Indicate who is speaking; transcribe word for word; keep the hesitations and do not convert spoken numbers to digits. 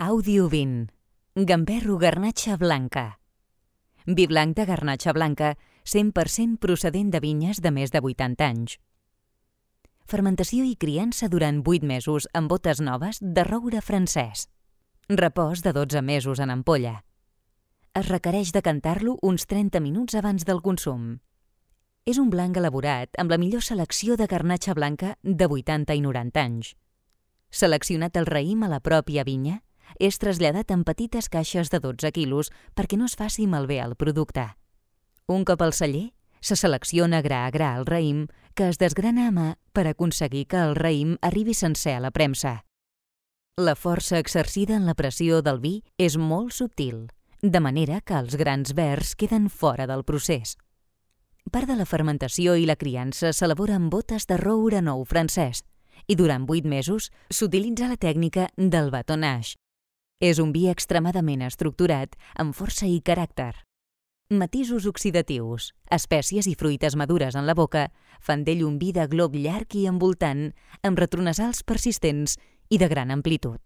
Speaker 1: Àudio vint. Gamberro Garnatxa Blanca. Vi blanc de garnatxa blanca, cent per cent procedent de vinyes de més de vuitanta anys. Fermentació i criança durant vuit mesos en botes noves de roure francès. Repòs de dotze mesos en ampolla. Es requereix decantar-lo uns trenta minuts abans del consum. És un blanc elaborat amb la millor selecció de garnatxa blanca de vuitanta i noranta anys. Seleccionat el raïm a la pròpia vinya, és traslladat en petites caixes de dotze quilos perquè no es faci malbé el producte. Un cop al celler, se selecciona gra a gra el raïm, que es desgrana a mà per aconseguir que el raïm arribi sencer a la premsa. La força exercida en la pressió del vi és molt subtil, de manera que els grans verds queden fora del procés. Part de la fermentació i la criança s'elabora en botes de roure nou francès i durant vuit mesos s'utilitza la tècnica del batonnage. És un vi extremadament estructurat, amb força i caràcter. Matisos oxidatius, espècies i fruites madures en la boca fan d'ell un vi de glob llarg i envoltant, amb retronasals persistents i de gran amplitud.